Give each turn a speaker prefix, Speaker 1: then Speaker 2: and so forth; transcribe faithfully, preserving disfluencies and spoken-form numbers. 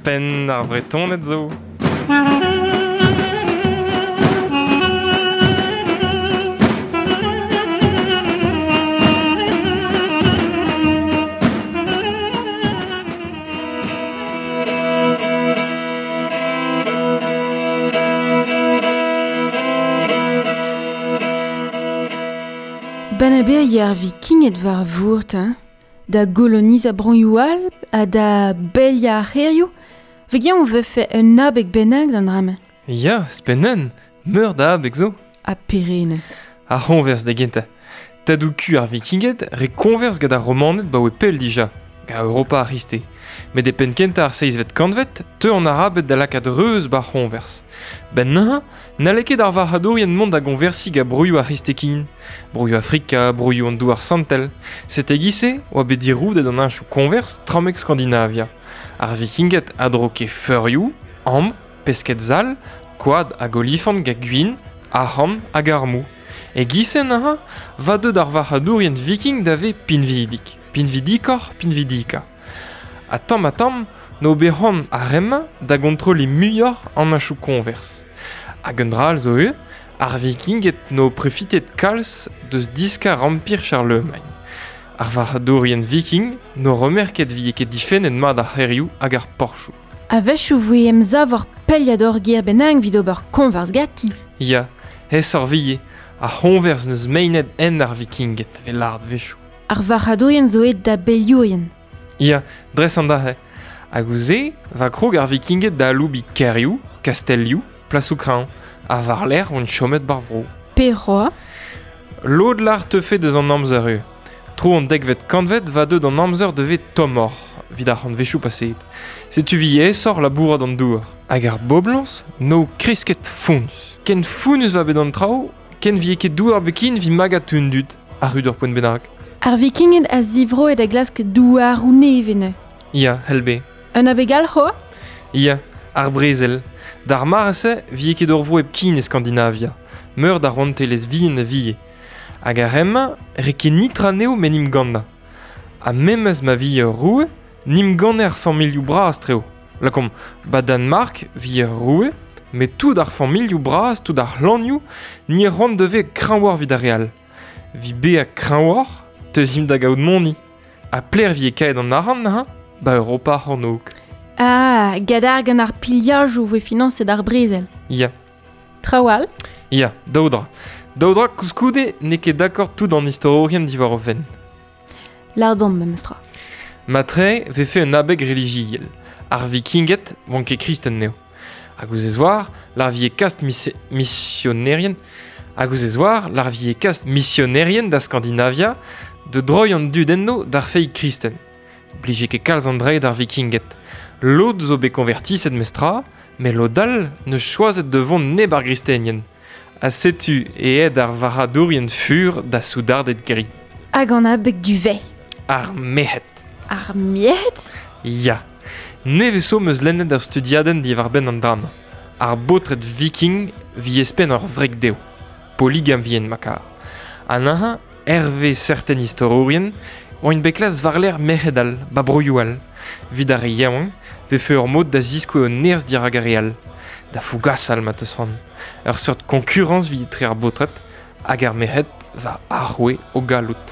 Speaker 1: Penn ar Vretoned zo.
Speaker 2: Ben ebe yer vikinged war vourt, hein? Da goloniz a broioù all, ha da belia ar c'hêrioù. Vegian on vefe un abeg bennak d'an drama.
Speaker 1: Ya, spennen, meur da abeg zo.
Speaker 2: Ha perene.
Speaker 1: Ar c'honvers da gentañ. Tadoù ku ar vikinged re konvers gant ar romaned ba oe pell dija, ga Europa ar c'histe. Met e penn kentañ ar seizhvet kantved, teu an arabed da lakaat reuz ba c'honvers. Ben neuze, n'halle ket ar varc'hadourien mont da gonversi ga broioù ar c'histekin, broioù Afrika, broioù an douar santel. Sete gise oa bet diroudet an heñchoù konvers tramek Skandinavia. Ar vikinged a droke feurioù, ambr, pesked sall, koad hag olifant ga gwin, arc'hant hag armoù. E gise neuze, va deut ar varc'hadourien viking da ve pinvidik. Pinvidikoc'h pinvidika. Ha tamm ha tamm, n'o bet c'hoant ar re-mañ da gontrolliñ muioc'h an heñchoù konvers. Hag un dra all zo eo, ar vikinged n'o profitet kalz deus diskar Empire Charlemagne. Ar varc'hadourien viking n'o remerket vie ket difennet mat ar c'hêrioù hag ar porchoù.
Speaker 2: A-wechoù voe emsav ar peliad ur gêr bennak evit ober konvers ganti.
Speaker 1: Ya, aesoc'h vie, ar c'honvers n'eus meinet en ar vikinged, vel lâret wechoù.
Speaker 2: Ar varc'hadourien zo aet da beliourien.
Speaker 1: Ya, dres an dac'he. Hag ouzh se, va krog ar vikinged da aloubiñ kêrioù, kastellioù, plasoù kreñv, ha war-lerc'h on chomet bar vro.
Speaker 2: Peroa?
Speaker 1: Lod lar teufe deus an amzer eo. Tro an dekvet kantved va deut an amzer devez tommoc'h, evit ar c'hantvechoù paseet. Setu vi aesoc'h labourat an douar. Hag ar boblañs n'o kresket foñs. Ken founnus va bet an traoù, ken vie ket douar bekin vi magat un dud, ar ur poent bennak.
Speaker 2: Ar vikinged a zivroet a glask douaroù nevez neuze.
Speaker 1: Ya, helbe.
Speaker 2: Un abeg all c'hoazh?
Speaker 1: Ya, ar brezel. D'ar mare-se vie ket ur vro hepken e Skandinavia. Meur d'ar rouantelezh vihan a vie. Hag ar re-mañ re ket nitra anezho met n'im gannañ. Ha memes ma vie ur roue, n'im ganne ar familhoù bras treo. Lakaomp, ba Danmark vie ur roue, met tout ar familhoù bras, tout ar c'hlanioù, ni c'hoant devez kreñvoc'h evit ar re all. Vi bezañ kreñvoc'h, teuzimp da gaout moni. Ha pler vie kaet an arc'hant neuze, ba Europa ar c'hornôg.
Speaker 2: Ah, gadar gant ar piliajoù voe finañset ar brezel.
Speaker 1: Ya.
Speaker 2: Traoù all?
Speaker 1: Ya, daou dra. Daou dra koulskoude n'eo ket d'accord tout an istorourien diwar o fenn.
Speaker 2: Lardon memestra.
Speaker 1: Matre vefe un abeg relijiel. Ar vikinged oant ket kristen neo. Hag ouzh ez oar, lar vie kast mis- misionerien. Hag ouzh ez oar, lar vie kast misionerien da Skandinavia de droi an dud enno d'ar feiz kristen. Blije ket kalz an dre d'ar vikinged. Lod zo bet konvertiset mestra, met lod all neus choazet de vont neb ar gristenien. Ha setu e aet ar varc'hadourien fur da soudarded gri.
Speaker 2: Hag an abeg du vez.
Speaker 1: Ar merc'hed.
Speaker 2: Ar merc'hed?
Speaker 1: Ya. Nevez zo 'm eus lennet ur studiadenn diwar-benn an drama. Ar baotred viking vi espenn ur wreg dezho. Polygam vien ma kar. Ha neuze, hervez serten istorourien, oant bet klas war-lerc'h merc'hed all, ba broioù all. Evit ar re yaouank, vefe ur mod da ziskouez o nerzh dirak ar re all. Da fougasal ma teus c'hoant. Ur seurt konkurañs evit etre ar baotred hag ar merc'hed va aroue o galloud.